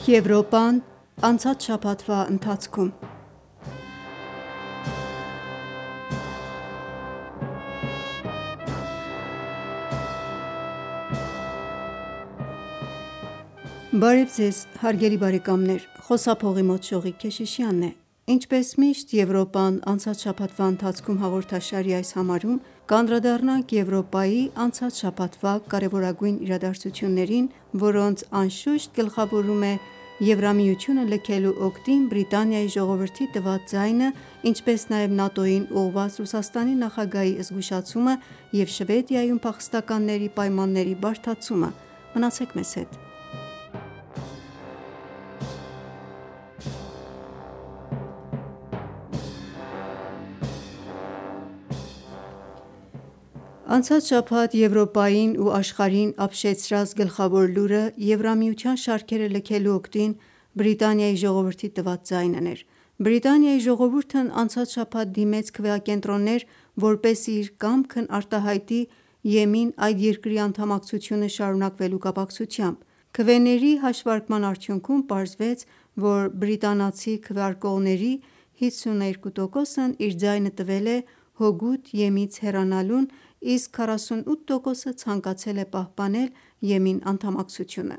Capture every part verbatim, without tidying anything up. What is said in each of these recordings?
Եվրոպան անցած շաբաթվա ընթացքում։ Բարև ձեզ հարգելի բարեկամներ, խոսափողի մոտ Շողիկ Քեշիշյանն է։ Ինչպես միշտ Եվրոպան անցած շաբաթվա ընթացքում հաղորդաշարի այս համարում կանդրադառնանք Եվրոպայի անցած շաբաթվա կարևորագույն իրադարձություններին, որոնց անշուշտ գլխավորում է Եվրամիությունը լքելու օգտին Բրիտանիայի ժողովրդի տված ձայնը, ինչպես նաև ՆԱՏՕ-ին ուղղված Ռուսաստանի նախագահի զգուշացումը և Շվեդիայում փախստականների պայմանների բարդացումը։ Մնացեք մեզ հետ։ Անցած շաբաթ Եվրոպային ու աշխարհին ապշեցրած գլխավոր լուրը Եվրամիության շարքերը լքելու օգտին Բրիտանիայի ժողովրդի տված ձայնն էր։ Բրիտանիայի ժողովուրդն անցած շաբաթ դիմեց քվեակենտրոններ, որպեսզի իր կամքն արտահայտի Եմին այդ երկրի անդամակցությունը շարունակվելու կապակցությամբ։ Քվեների հաշվարկման արդյունքում պարզվեց, որ բրիտանացի քվեարկողների հիսունութ տոկոսն իր ձայնը տվել է հօգուտ Եմից հեռանալուն, իսկ քառասունութ տոկոսը ցանկացել է պահպանել Եմին անդամակցությունը։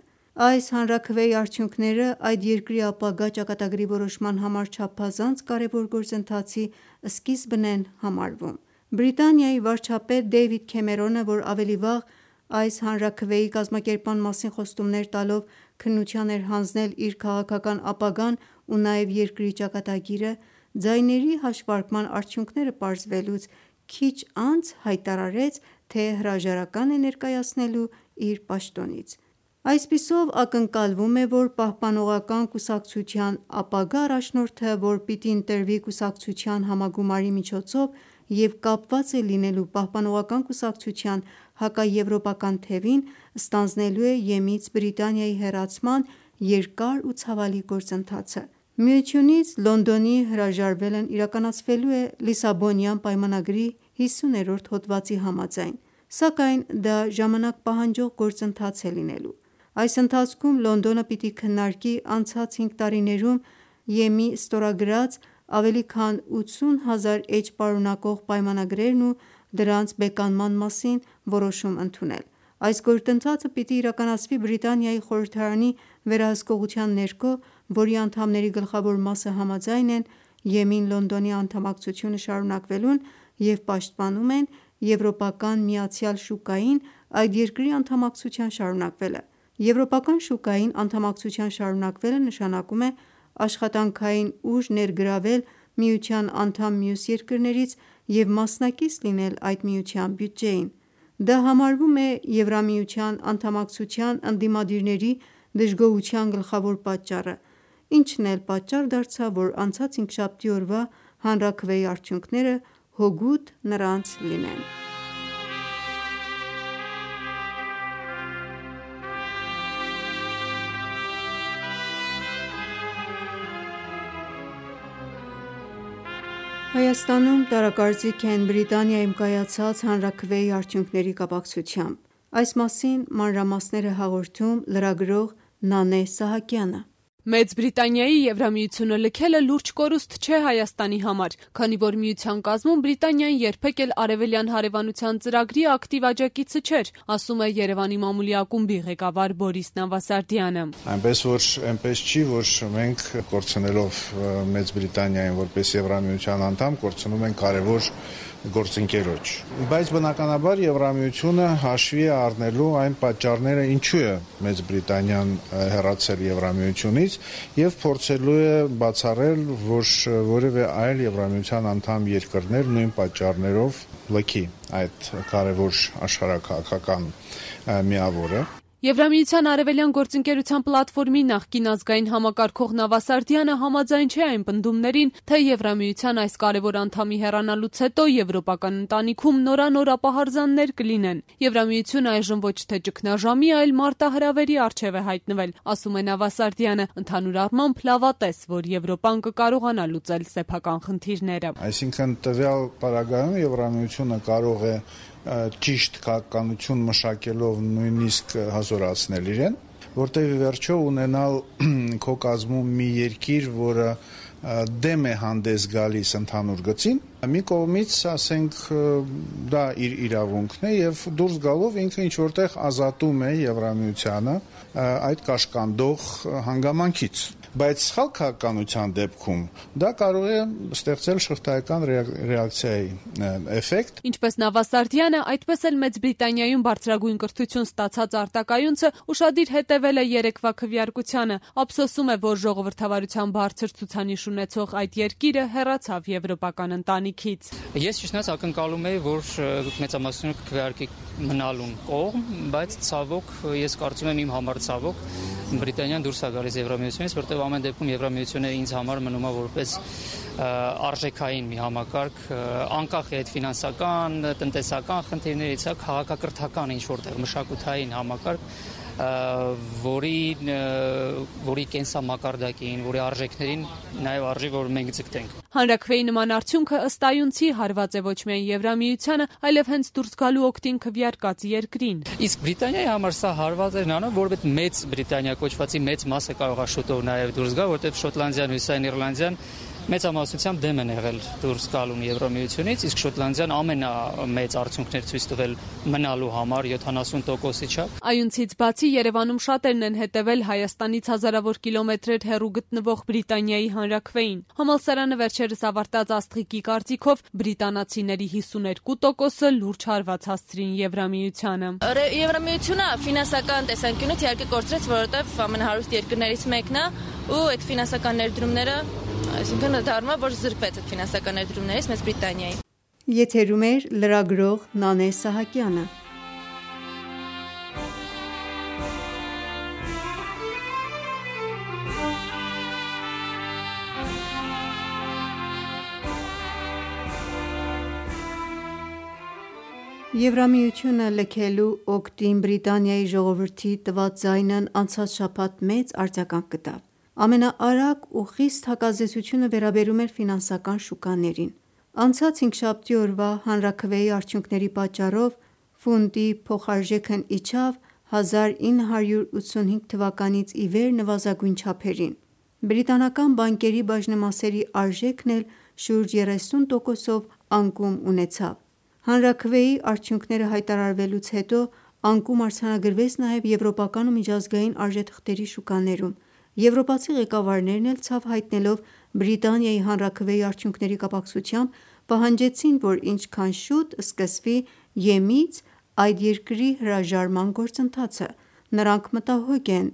Այս հանրաքվեի արդյունքները այդ երկրի ապագա ճակատագրի որոշման համար չափազանց կարևոր գործընթացի սկիզբն են համարվում։ Բրիտանիայի վարչապետ Դեյվիդ Քեմերոնը, որ ավելի վաղ այս հանրաքվեի կազմակերպման մասին խոստումներ տալով քննության էր հանձնել իր քաղաքական ապագան ու նաև երկրի ճակատագիրը, ձայների հաշվարկման արդյունքները պարզվելուց քիչ անց հայտարարեց, թե հրաժարական է ներկայացնելու իր պաշտոնից։ Այսպիսով ակնկալվում է, որ Պահպանողական կուսակցության ապագա առաջնորդը, որ պիտի ընտրվի կուսակցության համագումարի միջոցով և կապված է լինելու Պահպանողական կուսակցության հակաեվրոպական թևին, ստանձնելու է Եմից Բրիտանիայի հեռացման երկար ու ցավալի գործընթացը։ Միությունից Լոնդոնի հրաժարվելն իրականացվելու է Լիսաբոնյան պայմանագրի հիսուներորդ հոդվածի համաձայն, սակայն դա ժամանակ պահանջող գործընթաց է լինելու։ Այս ընթացքում Լոնդոնը պիտի քննարկի անցած հինգ տարիներում Եմի ստորագրած ավելի քան ութսուն հազար էջ պարունակող պայմանագրերն ու դրանց բեկանման մասին որոշում ընդունել։ Այս գործընթացը պիտի իրականացվի Բրիտանիայի խորհրդարանի վերահսկողության ներքո, որի անդամների գլխավոր մասը համաձայն են Եմին Լոնդոնի անդամակցությունը շարունակվելուն և պաշտպանում են եվրոպական միացյալ շուկային այդ երկրի անդամակցության շարունակվելը։ Եվրոպական շուկային անդամակցության շարունակվելը նշանակում է աշխատանքային ուժ ներգրավել միության անդամ մյուս երկրներից և մասնակից լինել այդ միության բյուջեին։ Դա համարվում է Եվրամիության անդամակցության ընդդիմադիրների դժգոհության գլխավոր պատճառը, ինչն էլ պատճառ դարձավ, որ անցած հինգշաբթի օրվա հանրաքվեի արդյունքները հօգուտ նրանց լինեն։ Հայաստանում տարակարծիք են Բրիտանիայում կայացած հանրաքվեի արդյունքների կապակցությամբ։ Այս մասին մանրամասներ է հաղորդում լրագրող Նանե Սահակյանը։ Մեծ Բրիտանիայի Եվրամիությունը լքելը լուրջ կորուստ չէ Հայաստանի համար, քանի որ միության կազմում Բրիտանիան երբեք էլ Արևելյան հարևանության ծրագրի ակտիվ աջակիցը չէր, ասում է Երևանի մամուլի ակումբի ղեկավար Բորիս Նավասարդյանը։ Այնպես որ այնպես չի, որ մենք կորցնելով Մեծ Բրիտանիային որպես Եվրամիության անդամ կորցնում ենք կարևոր գործընկերոջ։ Բայց բնականաբար Եվրամիությունը հաշվի է առնելու այն պատճառները, ինչու է Մեծ Բրիտանիան հեռացել Եվրամիությունից և փորձելու է բացառել, որ որևէ այլ Եվրամիության անդամ երկրներ նույն պատճառներով լքի այդ կարևոր աշխարհաքաղաքական միավորը։ Եվրամիության արևելյան գործընկերության պլատֆորմի նախկին ազգային համակարգող Նավասարդյանը համաձայն չէ այն պնդումներին, թե Եվրամիության այս կարևոր անդամի հեռանալուց հետո եվրոպական ընտանիքում նորանոր ապահարզաններ կլինեն։ Եվրամիությունը այժմ ոչ թե ճգնաժամի, այլ մարտահրավերի առջև է հայտնվել, ասում է Նավասարդյանը, ընդհանուր առմամբ լավատես, որ Եվրոպան կկարողանա լուծել սեփական խնդիրները։ Այսինքն տվյալ պարագայում Եվրամիությունը կարող է ճիշտ քաղաքականություն մշակելով նույնիսկ հազորացնել իրեն, որտեղ ի վերջո ունենալ քո կազմում մի երկիր, որը դեմ է հանդես գալիս ընդհանուր գծին, մի կողմից, ասենք, դա իր իրավունքն է եւ դուրս գալով ինքը ինչ որտեղ ազատում է Եվրամիությանը այդ կաշկանդող հանգամանքից։ Բայց սխալ քաղաքականության դեպքում դա կարող է ստեղծել շղթայական ռեակցիայի էֆեկտ։ Ինչպես Նավասարդյանը, այդպես էլ Մեծ Բրիտանիայում բարձրագույն կրթություն ստացած արտակայունցը ուշադիր հետևել է երեկվա քվեարկությանը, ափսոսում է, որ ժողովրդավարության բարձր ցուցանիշ ունեցող այդ երկիրը հեռացավ եվրոպական ընտանիքից։ Ես ճիշտնաց ակնկալում էի, որ մեծամասնությունը քվեարկի մնալուն կողմ, բայց ցավոք ես կարծում եմ իմ համար ցավոք Բրիտանիան դուրս է գալիս Եվրամիությունից, որտեղ ամեն դեպքում Եվրամիությունը ինձ համար մնում է որպես արժեքային մի համակարգ, անկախ է այդ ֆինանսական, տնտեսական խնդիրներից, քաղաքակրթական ինչ որտեղ մշակութային համակարգ, որի որի կենսամակարդակին, որի արժեքներին նաև արժի, որ մենք ձգտենք։ Հանրաքվեի նման արդյունքը ըստ այունցի հարված է ոչ միայն Եվրամիությանը, այլև հենց դուրս գալու օգտին քվեարկած երկրին։ Իսկ Բրիտանիայի համար սա հարված էր նրանով, որ այդ մեծ Բրիտանիա կոչվածի մեծ մասը կարող է շուտով նաև դուրս գա, որտեղ Շոտլանդիան, Հյուսիսային Իռլանդիան մեծամասնությամբ դեմ են եղել դուրս գալուն Եվրամիությունից, իսկ Շոտլանդիան ամենամեծ արդյունքներ ցույց տվել մնալու համար յոթանասուն տոկոսի չափ։ Այունցից բացի Երևանում շատերն են հետևել Հայաստանից հազարավոր կիլոմետրեր հեռու գտնվող Բրիտանիայի հանրաքվեին։ Համալսարանը վերջերս ավարտած Աստղիկի կարծիքով բրիտանացիների հիսուներկու տոկոսը լուրջ հարված հասցրին Եվրամիությանը։ Եվրամիությունը ֆինանսական տեսանկյունից իհարկե կորցրեց, որովհետև ամենահարուստ երկրներից մեկն է ու այդ ֆինանսական ներդրումները, այսինքն դառնում է, որ զրկվեց այդ ֆինանսական ներդրումներից Մեծ Բրիտանիայի։ Եթերում էր լրագրող Նանե Սահակյանը։ Եվրամիությունը լքելու օգտին Բրիտանիայի ժողովրդի տված ձայնն անցած շաբաթ մեծ արձագանք գտավ։ Ամենաարագ ու խիստ հակազդեցությունը վերաբերում էր ֆինանսական շուկաներին։ Անցած հինգշաբթի օրվա հանրաքվեի արդյունքների պատճառով ֆունտի փոխարժեքն իջավ հազար ինը հարյուր ութսունհինգ թվականից ի վեր նվազագույն չափերին։ Բրիտանական բանկերի բաժնեմասերի արժեքն էլ շուրջ երեսուն տոկոսով անկում ունեցավ։ Հանրաքվեի արդյունքները հայտարարվելուց հետո անկում արձանագրվեց նաև եվրոպական ու միջազգային արժեթղթերի շուկաներում։ Եվրոպացի ղեկավարներն էլ ցավ հայտնելով Բրիտանիայի հանրաքվեի արդյունքների կապակցությամբ պահանջեցին, որ ինչքան շուտ սկսվի ԵՄ-ից այդ երկրի հրաժարման գործընթացը։ Նրանք մտահոգ են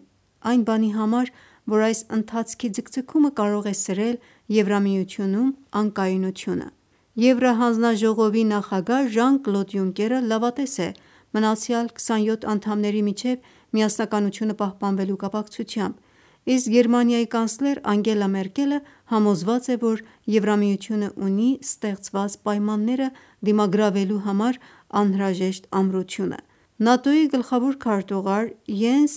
այն բանի համար, որ այս ընթացքի ձգձգումը կարող է սրել Եվրամիությունում անկայունությունը։ Եվրահանձնաժողովի նախագահ Ժան-Կլոդ Յունկերը լավատես է մնացյալ քսանյոթ անդամների միջև միասնականությունը պահպանվելու կապակցությամբ, իսկ Գերմանիայի կանցլեր Անգելա Մերկելը համոզված է, որ Եվրամիությունը ունի ստեղծված պայմանները դիմագրավելու համար անհրաժեշտ ամրությունը։ ՆԱՏՕ-ի գլխավոր քարտուղար Յենս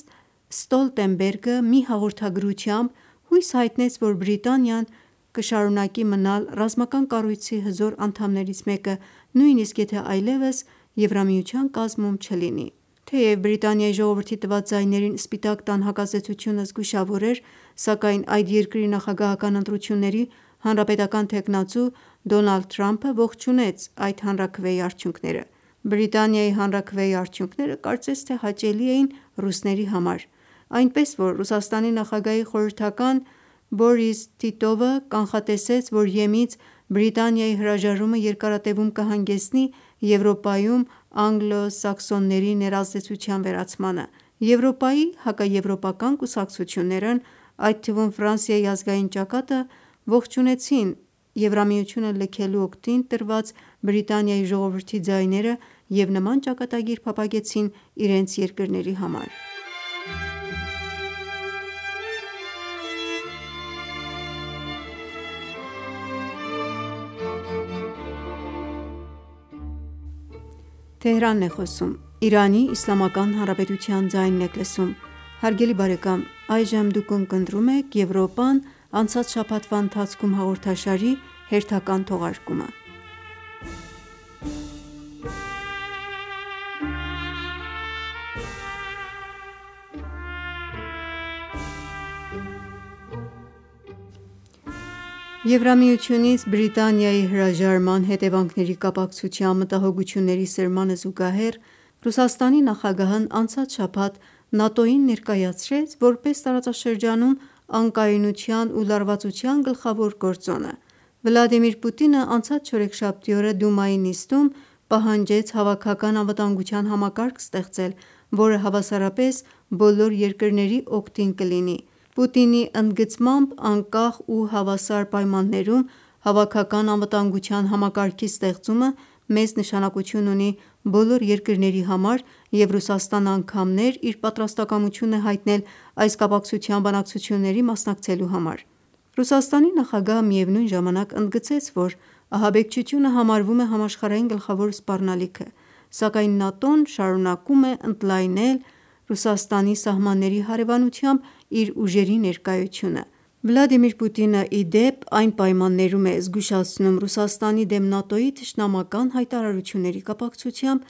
Ստոլտենբերգը մի հաղորդագրությամբ հույս հայտնեց, որ Բրիտանիան կշարունակի մնալ ռազմական կառույցի հզոր անդամներից մեկը, նույնիսկ եթե այլևս Եվրամիության կազմում չլինի։ Թեև Բրիտանիայի ժողովրդի տված ձայներին Սպիտակ տան հակազդեցությունը զգուշավոր էր, սակայն այդ երկրի նախագահական ընտրությունների հանրապետական թեկնածու Դոնալդ Թրամփը ողջունեց այդ հանրաքվեի արդյունքները։ Բրիտանիայի հանրաքվեի արդյունքները կարծես թե հաճելի էին ռուսների համար, այնպես որ Ռուսաստանի նախագահի խորհրդական Բորիս Տիտովը կանխատեսեց, որ ԵՄ-ից Բրիտանիայի հրաժարումը երկարատևում կհանգեցնի Եվրոպայում անգլո-սաքսոնների ներազդեցության վերացմանը։ Եվրոպայի հակաեվրոպական կուսակցություններն, այդ թվում Ֆրանսիայի ազգային ճակատը, ողջունեցին Եվրամիությունը լքելու օգտին տրված Բրիտանիայի ժողովրդի ձայները և նման ճակատագիր փափագեցին իրենց երկրների համար։ Թեհրանն է խոսում։ Իրանի Իսլամական Հանրապետության ձայնն եք լսում։ Հարգելի բարեկամ, այժմ դուք ընկնդրում եք Եվրոպան անցած շաբաթվա ընթացքում հաղորդաշարի հերթական թողարկումը։ Եվրամիությունից Բրիտանիայի հրաժարման հետևանքների կապակցությամբ մտահոգությունների սրմանը զուգահեռ Ռուսաստանի նախագահն անցած շաբաթ ՆԱՏՕ-ին ներկայացրեց որպես տարածաշրջանում անկայունության ու լարվածության գլխավոր գործոնը։ Վլադիմիր Պուտինը անցած չորեքշաբթի օրը Դումայի նիստում պահանջեց հավաքական անվտանգության համակարգ ստեղծել, որը հավասարապես բոլոր երկրների օգտին կլինի։ Պուտինի ընդգծմամբ անկախ ու հավասար պայմաններում հավաքական անվտանգության համակարգի ստեղծումը մեծ նշանակություն ունի բոլոր երկրների համար, և Ռուսաստանը անգամ իր պատրաստակամությունն է հայտնել այս կապակցությամբ բանակցությունների մասնակցելու համար։ Ռուսաստանի նախագահը միևնույն ժամանակ ընդգծեց, որ ահաբեկչությունը համարվում է համաշխարհային գլխավոր սպառնալիքը, սակայն ՆԱՏՕ-ն շարունակում է ընդլայնել Ռուսաստանի սահմանների հարևանությամբ իր ուժերի ներկայությունը։ Վլադիմիր Պուտինը, ի դեպ, այն պայմաններում է զգուշացնում Ռուսաստանի դեմ ՆԱՏՕ-ի թշնամական հայտարարությունների կապակցությամբ,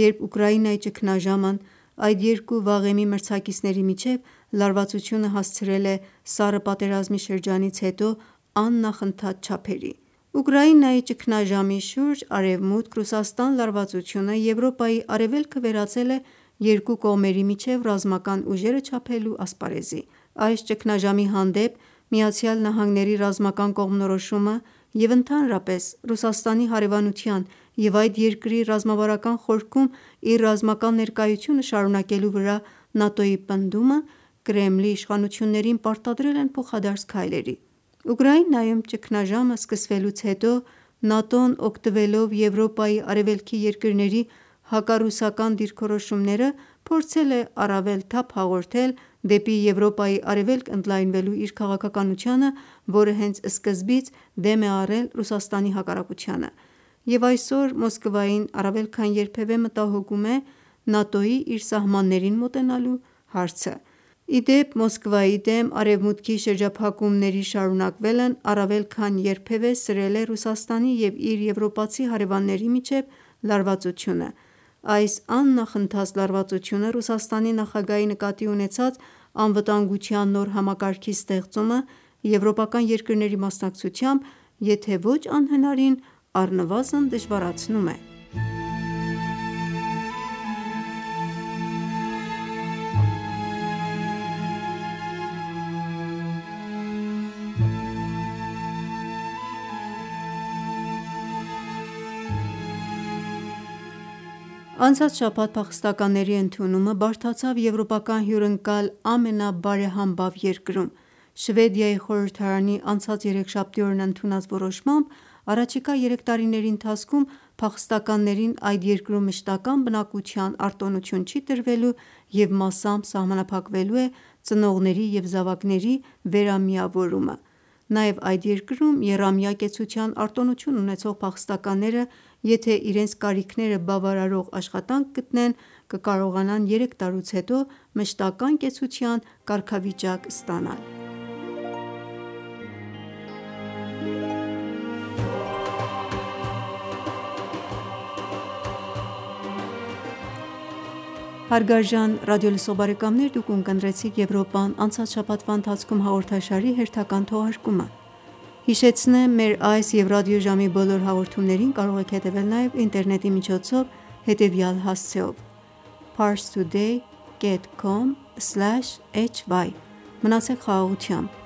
երբ Ուկրաինայի ճգնաժամն այդ երկու վաղեմի մրցակիցների միջև լարվածությունը հասցրել է սառը պատերազմի շրջանից հետո աննախընթաց չափերի։ Ուկրաինայի ճգնաժամի շուրջ Արևմուտք-Ռուսաստան լարվածությունը Եվրոպայի արևելքը վերածել է երկու կողմերի միջև ռազմական ուժերը չափելու ասպարեզի։ Այս ճգնաժամի հանդեպ ԱՄՆ-ի ռազմական կողմնորոշումը և ընդհանրապես Ռուսաստանի հարևանության և այդ երկրի ռազմավարական խորքում իր ռազմական ներկայությունը շարունակելու վրա ՆԱՏՕ-ի պնդումը Կրեմլի իշխանություններին պարտադրել են փոխադարձ քայլերի։ Ուկրաինայում ճգնաժամը սկսվելուց հետո ՆԱՏՕ-ն, օգտվելով Եվրոպայի արևելքի երկրների հակառուսական դիրքորոշումները, փորձել է առավել թափ հաղորդել դեպի Եվրոպայի արևելք ընդլայնվելու իր քաղաքականությանը, որը հենց սկզբից դեմ է առել Ռուսաստանի հակառակությանը, և այսօր Մոսկվային առավել քան երբևէ մտահոգում է ՆԱՏՕ-ի իր սահմաններին մոտենալու հարցը։ Ի դեպ, Մոսկվայի դեմ Արևմուտքի շրջափակումների շարունակվելն առավել քան երբևէ սրել է Ռուսաստանի և իր եվրոպացի հարևանների միջև լարվածությունը։ Այս աննախընթաց լարվածությունը Ռուսաստանի նախագահի նկատի ունեցած անվտանգության նոր համակարգի ստեղծումը եվրոպական երկրների մասնակցությամբ, եթե ոչ անհնարին, առնվազն դժվարացնում է։ Անցած շաբաթ փախստականների ընդունումը բարդացավ եվրոպական հյուրընկալ ամենաբարեհամբավ երկրում։ Շվեդիայի խորհրդարանի անցած երեքշաբթի օրն ընդունած որոշմամբ առաջիկա երեք տարիների ընթացքում փախստականներին այդ երկրում մշտական բնակության արտոնություն չի տրվելու և մասամբ սահմանափակվելու է ծնողների և զավակների վերամիավորումը։ Նաև այդ երկրում եռամյա կեցության արտոնություն ունեցող փախստականները, եթե իրենց կարիքները բավարարող աշխատանք գտնեն, կկարողանան երեք տարուց հետո մշտական կեցության կարգավիճակ ստանալ։ Հարգարժան ռադիոլսող բարեկամներ, դուք ունկնդրեցիք «Եվրոպան անցած շաբաթվա ընթացքում» հաղորդաշարի հերթական թողարկումը։ Հիշեցնեմ, մեր այս և ռադիոժամի բոլոր հաղորդումներին կարող եք հետևել նաև ինտերնետի միջոցով հետևյալ հասցեով՝ parstoday dot com slash hy Մնացեք խաղաղությամբ։